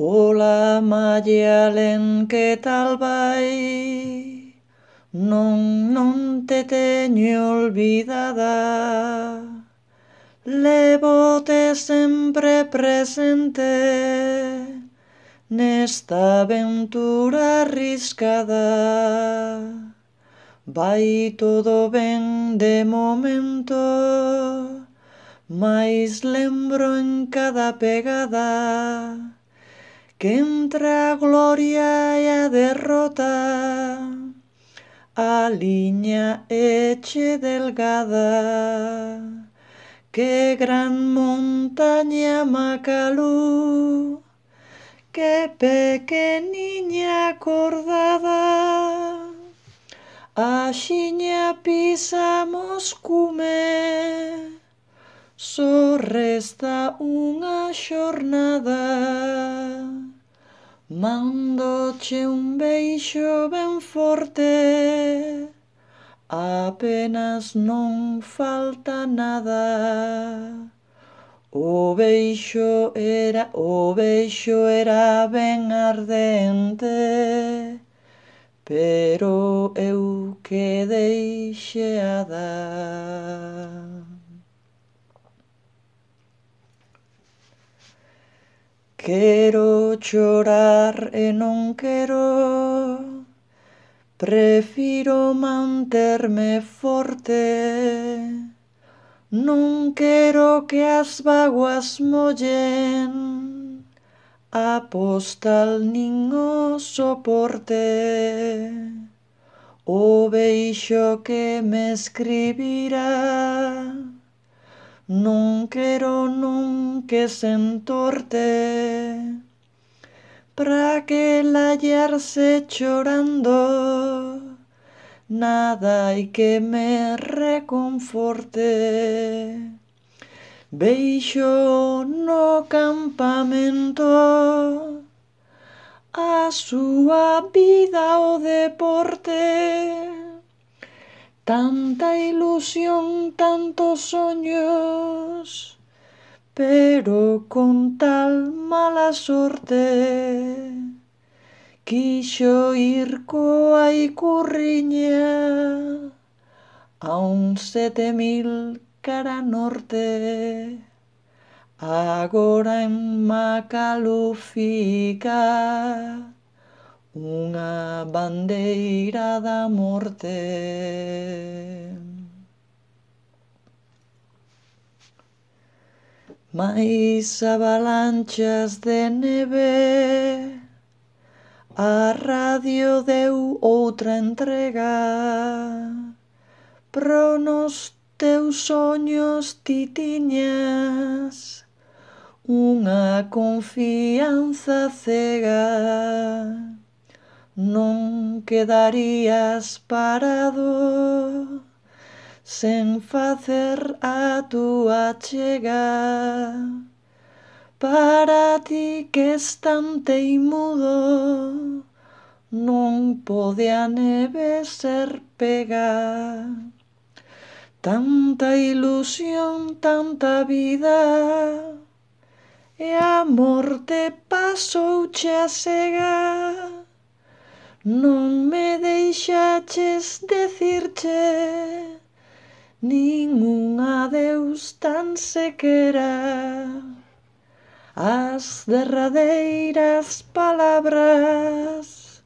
Ola Maialen, que tal vai? Non te teño olvidada. Levote sempre presente nesta aventura arriscada. Vai todo ben de momento, mais lembro en cada pegada que entre a gloria e a derrota a liña é che delgada. Que gran montaña Makalu, que pequeniña acordada, axiña pisamos cume, só resta unha xornada. Mandoche un beixo ben forte, apenas non falta nada. O beixo era ben ardente, pero eu quedei xeada. Quero chorar e non quero, prefiro manterme forte. Non quero que as vaguas mollen a postal nin o soporte. O beixo que me escribirá non quero non que se entorte, pra que lallarse chorando nada hai que me reconforte. Veixo no campamento a súa vida o deporte, tanta ilusión, tantos soños, pero con tal mala sorte. Quixo ir coa icurriña a un 7000 cara norte. Agora en Makalu fica unha bandeira da morte. Mais avalanchas de neve, a radio deu outra entrega. Pro nos teus soños ti tiñas unha confianza cega. Non quedarías parado sen facer a túa chega. Para ti que es tan teimudo, non pode a neve ser pega. Tanta ilusión, tanta vida, e a morte pasouche a cega. Non me deixaches decirche nin un adeus tan sequera. As derradeiras palabras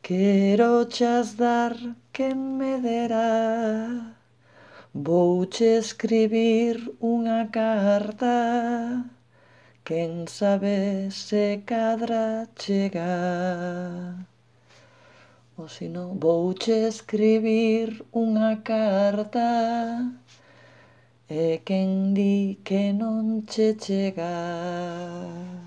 querochas dar quen me dera. Vouche escribir unha carta, quen sabe se cadra chega. O sino, vouche escribir unha carta, e quen di que non che chega.